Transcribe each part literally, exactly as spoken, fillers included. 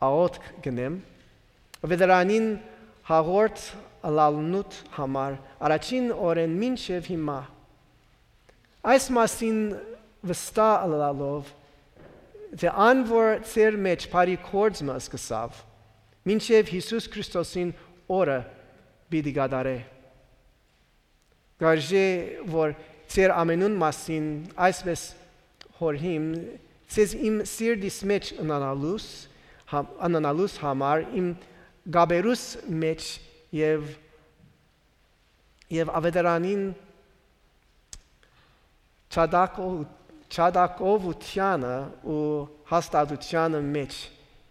աղօթք կ'ընեմ, վետերանին հաղորդ ըլալնուդ համար, առաջին օրէն մինչեւ հիմա։ Այս մասին վստահ ըլալով, թէ ան որ ձեր մէջ բարի գործ մը սկսաւ, մինչեւ Յիսուս Քրիստոսին օրը պիտի կատարէ։ Կ'արժէ որ ձեր ամենուն մասին այսպէս յորհիմ, ձեզ իմ սիրտիս մէջ ընանալուս, հա-, ընանալուս համար իմ կապերուս մէջ եւ, եւ աւետարանին չատակո-, չատակովութեանը ու հաստատութեանը մէջ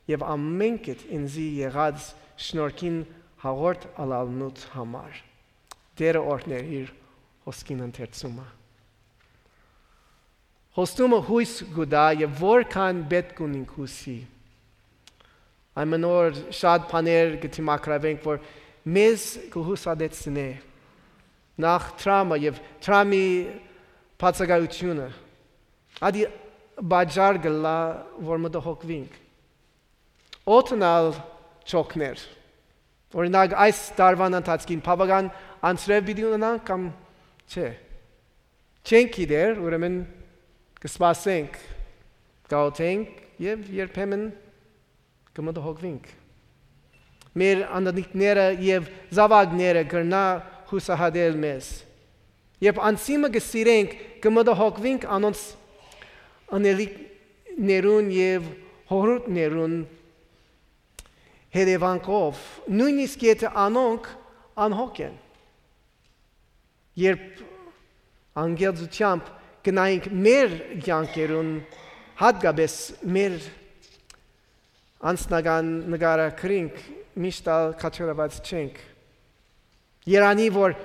եւ ամէնքդ ինծի եղած շնորհքին հաղորդ ըլալնուդ համար։ Տէրը օրհներ իր հոսքին ընթերցումը։ Խոստումը յոյս կու տայ եւ որքան պէտք ունինք յուսի։ Այն մնոր շատ բաներ կը դիմագրավենք, որ մեզ կը յուսատեցնէ։ Նախ դրամը եւ դրամի բացակայութիւնը։ Ադի պատճառ կ'ըլլայ, որ մտահոգուինք։ Օդն ալ չօգներ։ Օրինակ, այս տարուան ընթացքին բաւական անձրեւ պիտի ունենանք կամ չէ։ Չենք գիտեր, ուրեմն կը սպասենք, կ'աղօթենք եւ երբեմն կը մտահոգուինք։ Մեր անտանիքները եւ զաւակները կրնայ յուսահատել մեզ։ Երբ անձի մը կը սիրենք, կը մտահոգուինք անոնց ընելիքներուն եւ հօրհուտներուն հետեւանքով, նոյնիսկ եթէ անոնք անհոգ են։ Երբ անկեղծութեամբ գնայինք մեր կեանքերուն, հատկապես մեր անձնական նկարագրինք, միշտ ալ քաջալերուած չենք։ Երանի որ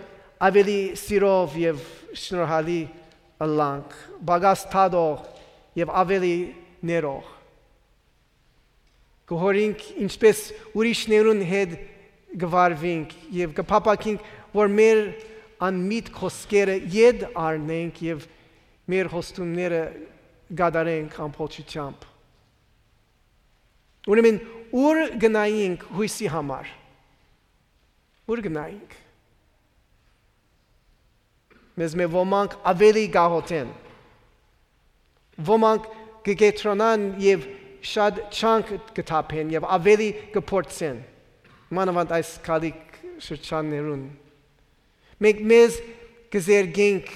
աւելի սիրով եւ շնորհալի ըլլանք, պակաս դատող եւ աւելի ներող։ Կը յորհինք ինչպէս ուրիշներուն հետ կը վարուինք եւ կը փափաքինք, որ մեր անմիտ խօսքերը ետ առնենք եւ մեր խոստումները կատարենք ամբողջությամբ։ Ուրեմն, ո՞ւր գնայինք յոյսի համար։ Ո՞ւր գնայինք։ Մեզմէ ոմանք աւելի կ'աղօթեն։ Ոմանք կը կեդրոնան եւ շատ ջանք կը թափեն եւ աւելի կը փորձեն։ Մանաւանդ այս գալիք շրջաններուն։ Մենք մեզ կը զերգենք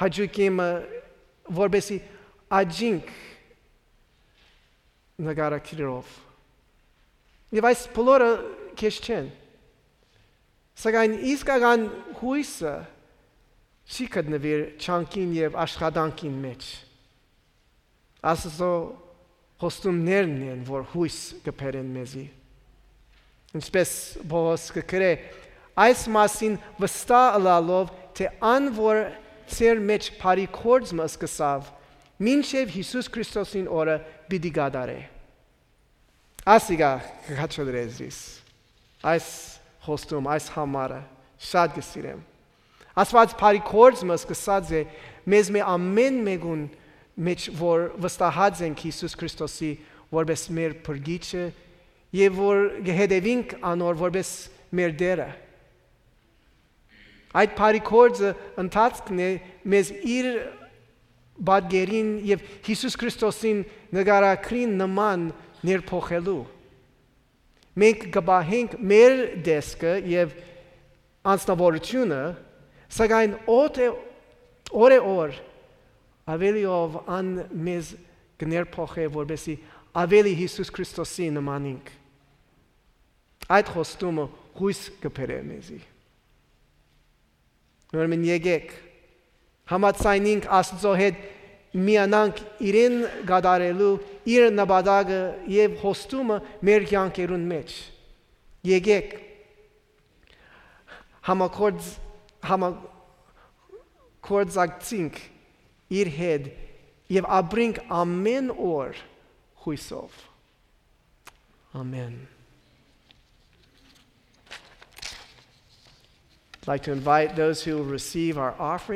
հաճոյկի մը, որպեսզի աջինք նկարագրերով։ Եւ այս բոլորը քեշ չեն։ Սակայն իսկական յոյսը չի գտնուիր ջանքին եւ աշխատանքին մէջ։ Աստուծոյ խոստումներն են, որ յոյս կը բերեն մեզի։ Ինչպէս Պողոս կը գրէ, այս մասին վստահ ըլալով, թէ ան որ ձեր մէջ բարի գործ մը սկսաւ, մինչեւ Յիսուս Քրիստոսին օրը պիտի կատարէ։ Ասիկա կը քաջալերէ զիս։ Այս խոստում, այս համարը շատ կը սիրեմ։ Աստուած բարի գործ մը սկսած է մեզմէ ամէն մէկուն մէջ, որ վստահած ենք Յիսուս Քրիստոսի որպես մեր փրկիչը եւ որ կը հետեւինք անոր որպես մեր Տէրը։ Այդ բարի գործը ընթացքն է մեզ իր պատկերին եւ Յիսուս Քրիստոսին նկարագրին նման ներփոխելու։ Մենք կը պահենք մեր տեսքը եւ անձնավորությունը, սակայն օդ է, օր է օր աւելիով ան մեզ կը ներփոխէ, որպեսզի աւելի Յիսուս Քրիստոսի նմանինք։ Այդ խոստումը յոյս կը բերէ մեզի։ Ուրեմն եկեք, համաձայնինք Աստուծոյ հետ, միանանք իրեն կատարելու իր նպատակը եւ խոստումը մեր կեանքերուն մէջ։ Եկեք, համագործ-, համագործակցինք իր հետ եւ ապրինք ամէն օր յոյսով։ Ամէն։ I'd like to invite those who will receive our offering.